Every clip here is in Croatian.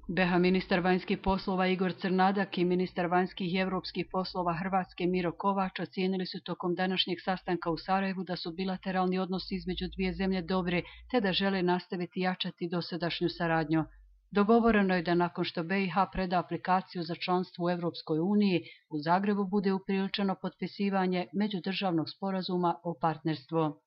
BiH ministar vanjskih poslova Igor Crnadak i ministar vanjskih i evropskih poslova Hrvatske Miro Kovač ocijenili su tokom današnjeg sastanka u Sarajevu da su bilateralni odnosi između dvije zemlje dobri te da žele nastaviti jačati dosadašnju saradnju. Dogovoreno je da nakon što BiH preda aplikaciju za članstvo u Evropskoj uniji, u Zagrebu bude upriličeno potpisivanje međudržavnog sporazuma o partnerstvu.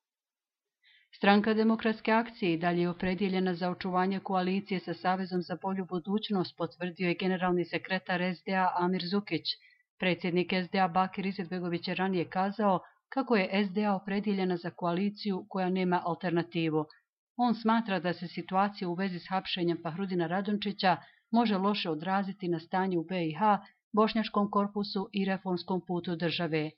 Stranka Demokratske akcije i dalje je opredjeljena za očuvanje koalicije sa Savezom za bolju budućnost, potvrdio je generalni sekretar SDA Amir Zukić. Predsjednik SDA Bakir Izetbegović je ranije kazao kako je SDA opredjeljena za koaliciju koja nema alternativu. On smatra da se situacija u vezi s hapšenjem Fahrudina Radončića može loše odraziti na stanje u BiH, bošnjačkom korpusu i reformskom putu države.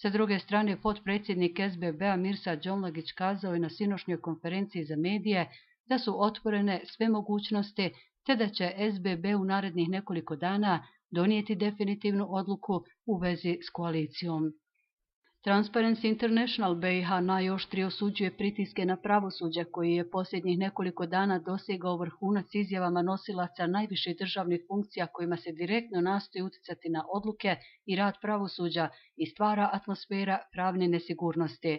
Sa druge strane, potpredsjednik SBB-a Mirsad Džomlagić kazao je na sinoćnjoj konferenciji za medije da su otvorene sve mogućnosti te da će SBB u narednih nekoliko dana donijeti definitivnu odluku u vezi s koalicijom. Transparency International BiH najoštrije osuđuje pritiske na pravosuđe koji je posljednjih nekoliko dana dosegao vrhunac izjavama nosilaca najviših državnih funkcija kojima se direktno nastoji utjecati na odluke i rad pravosuđa i stvara atmosfera pravne nesigurnosti.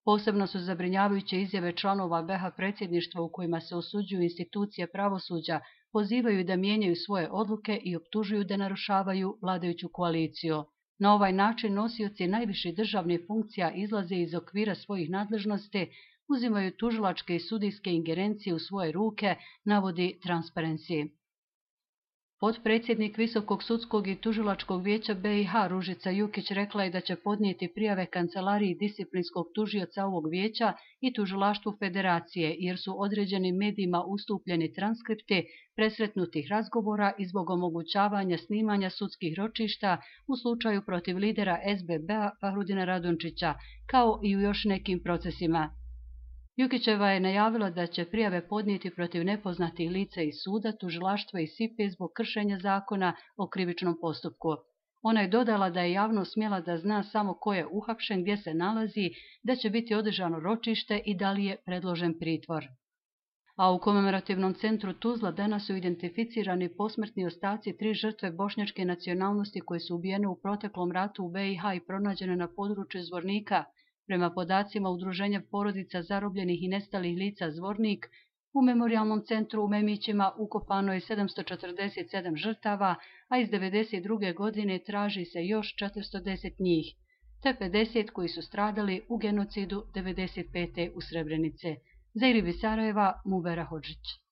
Posebno su zabrinjavajuće izjave članova BiH predsjedništva u kojima se osuđuju institucije pravosuđa, pozivaju da mijenjaju svoje odluke i optužuju da narušavaju vladajuću koaliciju. Na ovaj način nosioci najviših državnih funkcija izlaze iz okvira svojih nadležnosti, uzimaju tužilačke i sudijske ingerencije u svoje ruke, navodi Transparency. Potpredsjednik Visokog sudskog i tužilačkog vijeća BiH Ružica Jukić rekla je da će podnijeti prijave kancelariji disciplinskog tužioca ovog vijeća i tužilaštvu federacije, jer su određenim medijima ustupljeni transkripti presretnutih razgovora i zbog omogućavanja snimanja sudskih ročišta u slučaju protiv lidera SBB-a Fahrudina Radončića, kao i u još nekim procesima. Jukićeva je najavila da će prijave podnijeti protiv nepoznatih lica iz suda, tužilaštva i SIPE zbog kršenja zakona o krivičnom postupku. Ona je dodala da je javnost smjela da zna samo ko je uhapšen, gdje se nalazi, da će biti održano ročište i da li je predložen pritvor. A u komemorativnom centru Tuzla danas su identificirani posmrtni ostaci 3 žrtve bošnjačke nacionalnosti koje su ubijene u proteklom ratu u BiH i pronađene na području Zvornika. Prema podacima Udruženja porodica zarobljenih i nestalih lica Zvornik, u memorijalnom centru u Memićima ukopano je 747 žrtava, a iz 1992. godine traži se još 410 njih, te 50 koji su stradali u genocidu 1995. u Srebrenice. Za Iribi Sarajeva, Mubera Hodžić.